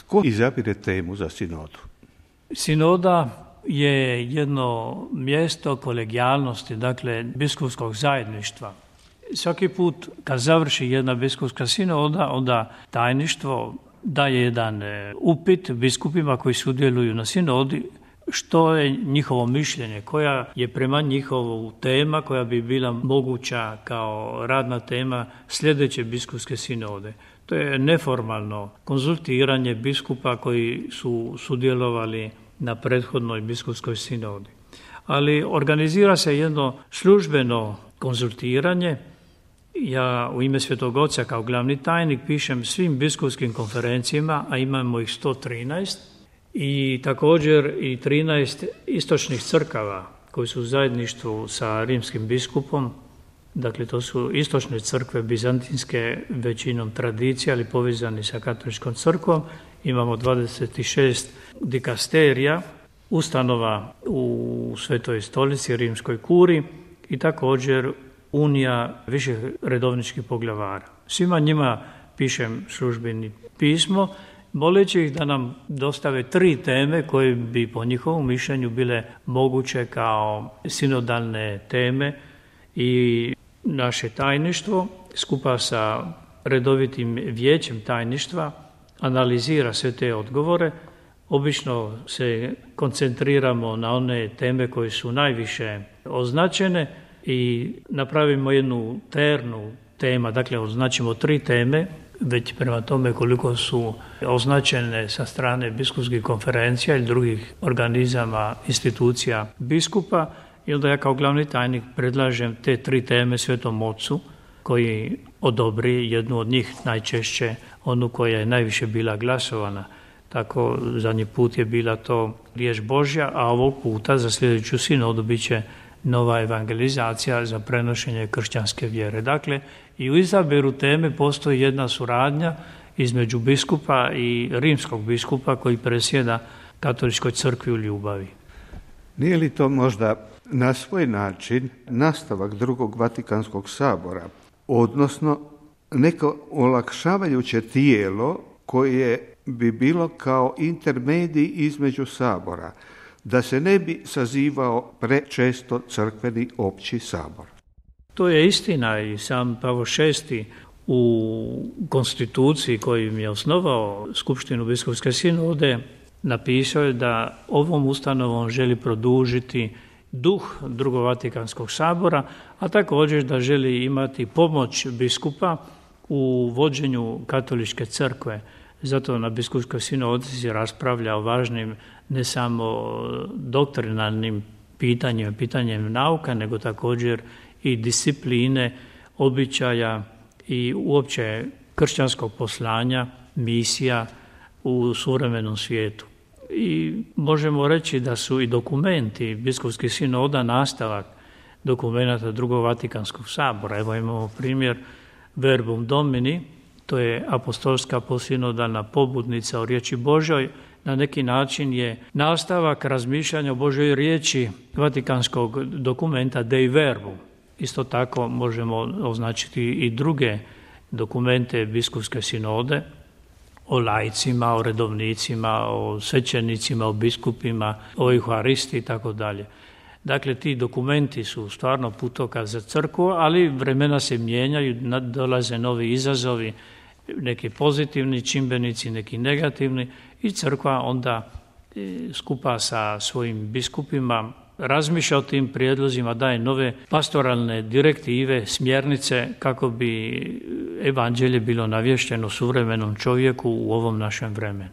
Tko izabire temu za sinodu? Sinoda je jedno mjesto kolegijalnosti, dakle biskupskog zajedništva. Svaki put kad završi jedna biskupska sinoda, onda tajništvo daje jedan upit biskupima koji sudjeluju na sinodi, što je njihovo mišljenje, koja je prema njihovu tema koja bi bila moguća kao radna tema sljedeće biskupske sinode. To je neformalno konzultiranje biskupa koji su sudjelovali na prethodnoj biskupskoj sinodi. Ali organizira se jedno službeno konzultiranje. Ja u ime Svetog Oca kao glavni tajnik pišem svim biskupskim konferencijama, a imamo ih 113, i također i 13 istočnih crkava koji su u zajedništvu sa rimskim biskupom. Dakle, to su istočne crkve bizantinske većinom tradicije, ali povezani sa katoličkom crkvom. Imamo 26 dikasterija, ustanova u Svetoj stolici, Rimskoj kuri, i također unija viših redovničkih poglavara. Svima njima pišem službeni pismo, moleći ih da nam dostave 3 teme koje bi po njihovom mišljenju bile moguće kao sinodalne teme, i naše tajništvo skupa sa redovitim vijećem tajništva analizira sve te odgovore. Obično se koncentriramo na one teme koje su najviše označene i napravimo jednu ternu tema, dakle označimo 3 teme, već prema tome koliko su označene sa strane biskupskih konferencija ili drugih organizama, institucija biskupa, i onda ja kao glavni tajnik predlažem te 3 teme Svetom Ocu koji odobri jednu od njih, najčešće onu koja je najviše bila glasovana. Tako zadnji put je bila to riječ Božja, a ovog puta za sljedeću sinodu bit će nova evangelizacija za prenošenje kršćanske vjere. Dakle, i u izabiru teme postoji jedna suradnja između biskupa i rimskog biskupa koji presjeda katoličkoj crkvi u ljubavi. Nije li to možda na svoj način nastavak drugog Vatikanskog sabora, odnosno neko olakšavajuće tijelo koje bi bilo kao intermedij između sabora, da se ne bi sazivao prečesto crkveni opći sabor? To je istina, i sam Pavao VI u konstituciji kojim je osnovao Skupštinu biskupske sinode napisao je da ovom ustanovom želi produžiti duh drugog Vatikanskog sabora, a također da želi imati pomoć biskupa u vođenju katoličke crkve. Zato na biskupskoj sinodi se raspravlja o važnim ne samo doktrinalnim pitanjem nauka, nego također i discipline, običaja i uopće kršćanskog poslanja, misija u suvremenom svijetu. I možemo reći da su i dokumenti biskupskih sinoda nastavak dokumenata drugog Vatikanskog sabora. Evo imamo primjer Verbum Domini, to je apostolska posinodalna pobudnica o riječi Božoj, na neki način je nastavak razmišljanja o Božoj riječi vatikanskog dokumenta Dei Verbum. Isto tako možemo označiti i druge dokumente biskupske sinode o laicima, o redovnicima, o svećenicima, o biskupima, o Euharisti i tako dalje. Dakle, ti dokumenti su stvarno putokaz za crkvu, ali vremena se mijenjaju, dolaze novi izazovi, neki pozitivni čimbenici, neki negativni, i crkva onda skupa sa svojim biskupima razmišlja o tim prijedlozima, daje nove pastoralne direktive, smjernice kako bi evanđelje bilo navješteno suvremenom čovjeku u ovom našem vremenu.